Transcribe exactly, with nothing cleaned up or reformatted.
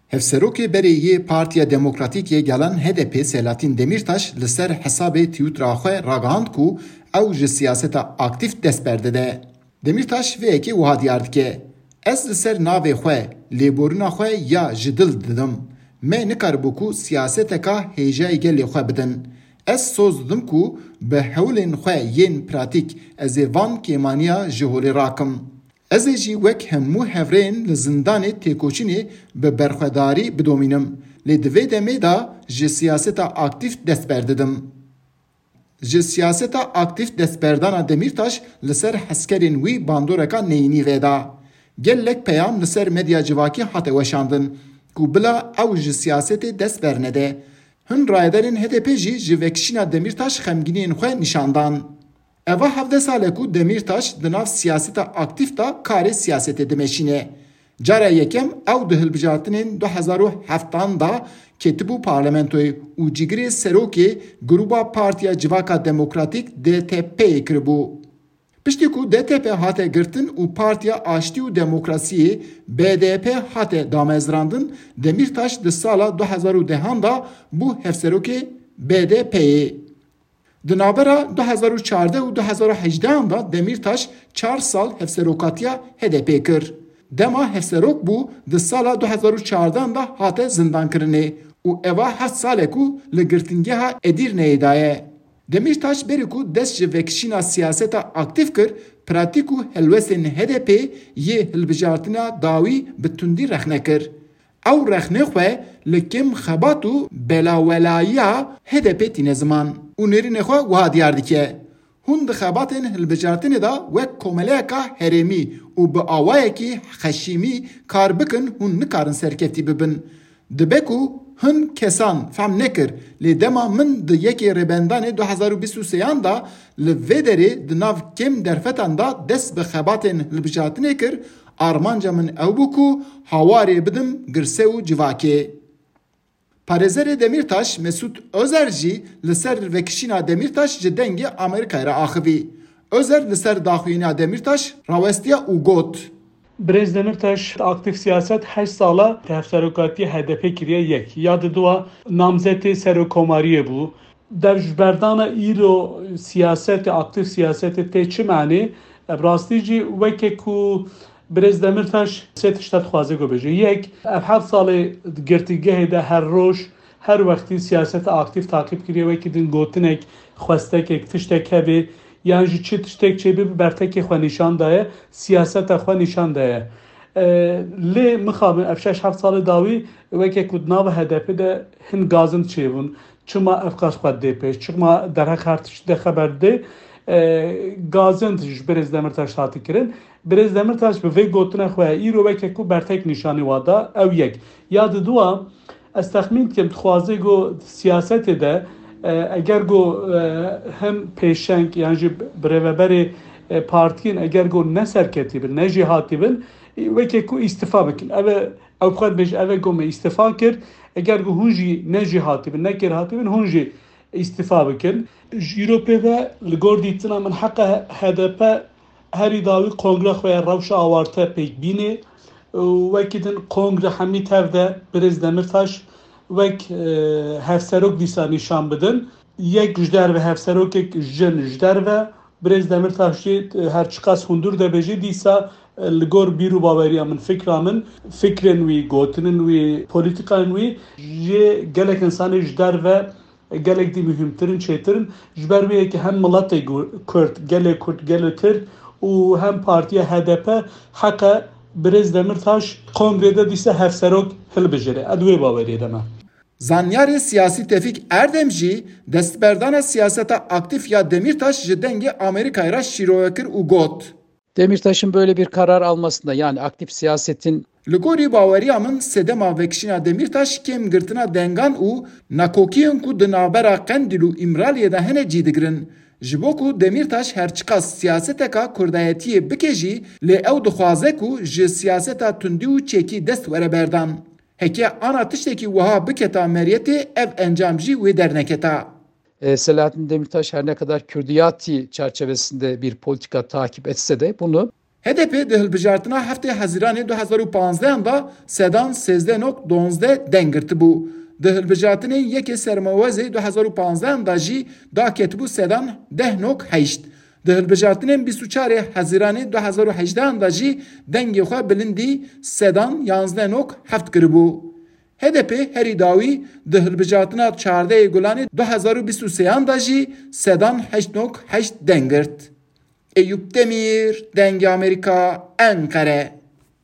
Hevserokê berê yê Partiya Demokratîk yê Gelan H D P Selahattin Demirtaş li ser hesabê Twittera xwe ragihand ku ew ji siyaseta aktîf dest berdide. Demirtaş vê yekê wiha diyar dike, Ez li ser navê xwe, lêborîna xwe ya ji dil didim. Me nikaribû ku siyaseteka hêjayî gelê xwe bidin. Ez soz didim ku bi hewlên xwe yên pratîk ez ê van kêmaniya ji holê rakim. Ez ê jî wek hemû hevrêyên li zindanê têkoşînê bi berxwedarî bidomînim. Lê di vê demê de ji siyaseta aktîf dest berdidim. Ji siyaseta aktîf destberdana Demîrtaş li ser hezkerên wî bandoreka neyînî veda. Gelek peyam li ser medya civakî hate weşandin ku bila ew ji siyasetê dest bernede. Hin rayedarên H D P jî ji vekişîna Demîrtaş xemgîniyên xwe nîşan dan. Eva hevdeh sal e ku Demîrtaş di nav siyaseta aktîf de karê siyasetê dimeşîne. Cara yekem ew di hilbijartinên du hezar û heft de ketibû parlamentoyê û cîgirê serokê grûba Partiya Civaka Demokratîk D T P'yê kiribû. Piştî ku D T P hate girtin û Partiya Aştî û Demokrasiyê B D P hate damezrandin, Demîrtaş di sala du hezar û dehan de bû hevserokê B D P'yê. Di navbera du hezar û çardeh û du hezar û hejdehan de Demîrtaş çar sal hevserokatiya H D P kir. Dema hevserok bû, di sala du hezar û çardehan de hate zindankirinê û eva heft sal e ku li girtingeha Edîrneyê de ye. Demîrtaş berî ku dest ji vekişîna siyaseta aktîf kir, pratîk û helwestên H D P yê hilbijartina dawî bi tundî rexne kir. Ew rexnê xwe li kêm xebat û belawelayiya H D P tîne ziman û nêrînê xwe wiha diyar dike, Hûn di xebatên hilbijartinê de wek komeleyeka herêmî û bi awayekî xeşîmî kar bikin, hûn nikarin serkeftî bibin. Dibe ku hin kesan fehm nekir, lê dema min di yekê Rêbendanê du hezar û bîst û sêyan de li vê derê di nav kêm derfetan de dest bi xebatên hilbijartinê kir, armanca min ew bû ku hawarê bidim girse û civakê. Parêzerê Demîrtaş Mesût Ozer jî li ser vekişîna Demîrtaş ji Dengê Amerîkayê re axivî. Ozer li ser daxuyîna Demîrtaş rawestiya û got, Birêz Demîrtaş aktîf siyaset heşt sala hevserokatiya H D P kiriye yek. Ya di dua namzetê serokkomariyê bû. Dev ji berdana îro siyasetê, aktîf siyasetê tê çi manê? Bi rastî jî weke ku Birêz Demîrtaş sê tişta dixwaze ku bêje. Yek, ev heft salê di girtîgehê de her roj, her wextî siyaseta aktîf taqîb kiriye, wekî din gotinek, xwestekek, tiştek hebe, yan jî çi tiştek çêbibe bertekê xwe nîşan daye, siyaseta xwe nîşan daye. E, lê mixabin ev şeş heft salê dawî weke ku di nava H D P de hin gazind çêbûn. Çima ev qas xwe dê pêş? Çima derheq her tiştî de xeber dê? E, gazind ji Birêz Demîrtaş hate kirin. Birêz Demîrtaş bi vê gotina xwe îro weke ku bertek nîşanî wa da, ew yek. Ya di dua, ez texmîn dikim, dixwaze ku siyasetê de, e, eger ku, e, him pêşeng yan jî birêveberê, e, partiyên eger ku ne serketî bin, ne jêhatî bin, e, weke ku îstifa bikin. Ev e, ew xwe dibêje, ev e ku me îstifa kir. Eger ku hûn jî ne jêhatî bin, ne kêrhatî bin, hûn jî îstifa bikin. Ji îro pê ve li gor dîtina min heqa H D P herî dawî kongre xwe ya rewşa awarte pêk bînê û wekî din kongre hemî tev de Birêz Demîrtaş wek, e, hevserok dîsa nîşan bidin. Yek ji derve hevserokek jin ji derve, Birêz Demîrtaş jî, e, her çiqas hundir de bêje dîsa, e, li gor bîr û baweriya min, fikra min, fikrên wî, gotinên wî, polîtîkayên wî ji gelek însanê ji derve gelek dî muhîmtir in, çêtir in. Ji ber wê yekê hem miletê Gu-, Kurd, gelê Kurd, gelê Tirk û hem partiya H D P heqe Birêz Demîrtaş kongrê de dîsa hevserok hilbijêre. Ez wê baweriyê de me. Zanyarê siyasî Tevfîk Erdem jî destberdana siyaseta aktîf ya Demîrtaş ji Dengê Amerîkayê re şîrove kir û got, Demirtaş'ın böyle bir karar almasında, yani aktif siyasetin Li gorî baweriya min, sedema vekişîna Demîrtaş kêm girtina dengan û nakokiyên ku di navbera Qendîl û Îmraliyê de hene cî digirin. Ji bo ku Demîrtaş her çiqas siyaseteka kurdayetiyê bike jî, lê ew dixwaze ku ji siyaseta tundî û çekî dest were berdan. Heke ana tiştekî wiha biketa meriyetê, ev encam jî wê derneketa. E, Selahattin Demirtaş her ne kadar Kürdiyati çerçevesinde bir politika takip etse de bunu H D P di hilbijartina heftê Hezîranê du hezar û panzdehan de sedan sêzdeh nok donzdeh deng girtibû. Di hilbijartinên yekê Sermewezê du hezar û panzdehan de jî daketibû sedan deh nok heşt. Di hilbijartinên bîst û çarê Hezîranê du hezar û hejdehan de jî dengê xwe bilindî sedan yanzdeh nok heft kiribû. H D P herî dawî di hilbijartina çardehê Gulanê du hezar û bîst û sêyan de jî sedan heşt nok heşt deng girt. Eyûp Demîr, Dengê Amerîka, Enqere.